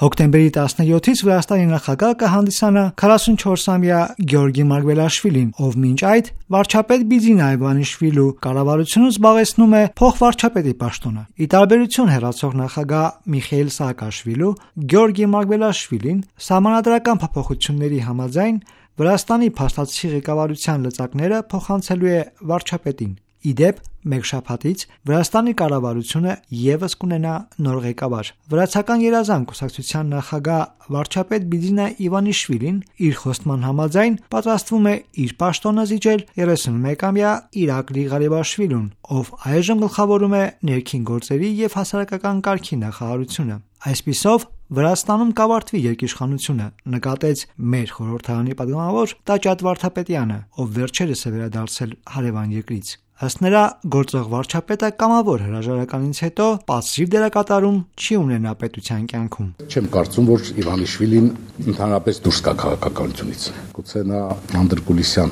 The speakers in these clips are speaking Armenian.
Հոկտեմբերի 17-ից Վրաստանի նախագահ կհանդիսանա 44-ամյա Գեորգի Մարգվելաշվիլին, ով մինչ այդ վարչապետ Բիձինա Իվանիշվիլու կառավարությունը զբաղեցնում է փոխվարչապետի պաշտոնը։ Ի տարբերություն հեռացող նախագահ Միխեիլ Սաակաշվիլու, Գեորգի Մարգվելաշվիլին սահմանադրական փոփոխությունների համաձայն Վրաստանի փաստացի ղեկավարության լծակները փոխանցելու է վարչապետին։ Ի դեպ, մեկ շաբաթից Վրաստանի կառավարությունը ևս կունենա նոր ղեկավար։ Վրացական երազանք կուսակցության նախագահ վարչապետ Բիձինա Իվանիշվիլին իր խոստման համաձայն պատրաստվում է իր պաշտոնը զիջել 31-ամյա Իրակլի Ղարիբաշվիլուն, ով այժմ գլխավորում է ներքին գործերի եւ հասարակական կարգի նախարարությունը։ Այսպիսով Վրաստանում կավարտվի երկիշխանությունը, նկատեց մեր խորհրդարանի պատգամավոր Տաճատ Վարդապետյանը, ով վերջերս է վերադարձել հարևան երկրից։ Ըստ նրա, գործող վարչապետը կամավոր հրաժարականից հետո պասիվ դերակատարում չի ունենա պետության կյանքում։ Չեմ կարծում, որ Իվանիշվիլին ընդհանրապես դուրս գա քաղաքականությունից։ Գուցե նա անդրկուլիսյան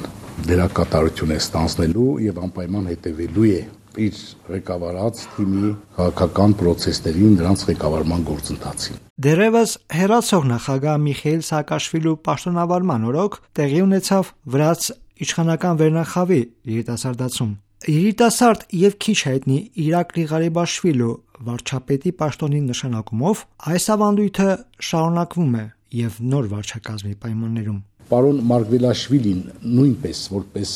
դերակատարություն է ստանձնելու եւ անպայման հետևելու է իր ղեկավարած թիմի քաղաքական պրոցեսներին, նրանց ղեկավարման գործընթացին։ Դեռևս հեռացող նախագահ Միխեիլ Սաակաշվիլու պաշտոնավարման օրոք տեղի ունեցավ վրաց իշխանական վերնախավի երիտասարդացում։ Երիտասարդ եւ քիչ հայտնի Իրակլի Ղարիբաշվիլու վարչապետի պաշտոնի նշանակումով այս ավանդույթը շարունակվում է եւ նոր վարչակազմի պայմաններում։ Պարոն Մարգվելաշվիլին նույնպես որպես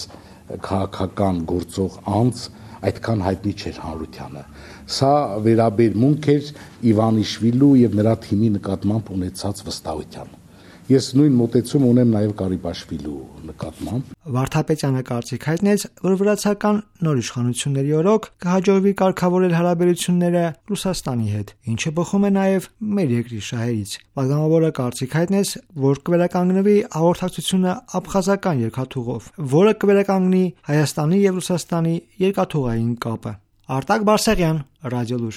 քաղաքական գործող անձ այդքան հայտնի չէր հանրությանը։ Սա վերաբերմունք էր Իվանիշվիլու եւ նրա թիմի նկատմամբ ունեցած վստահության։ Ես նույն մոտեցում ունեմ նաև Ղարիբաշվիլու նկատմամբ։ Վարդապետյանը կարծիք հայտնեց, որ վրացական նոր իշխանությունների օրոք կհաջողվի կարգավորել հարաբերությունները Ռուսաստանի հետ, ինչը բխում է նաև մեր երկրի շահերից։ Պատգամավորը կարծիք հայտնեց, որ կվերականգնվի հաղորդակցությունը աբխազական երկաթուղով, որը կվերականգնի Հայաստանի եւ Ռուսաստանի երկաթուղային կապը։ Արտակ Բարսեղյան, Ռադիոլուր։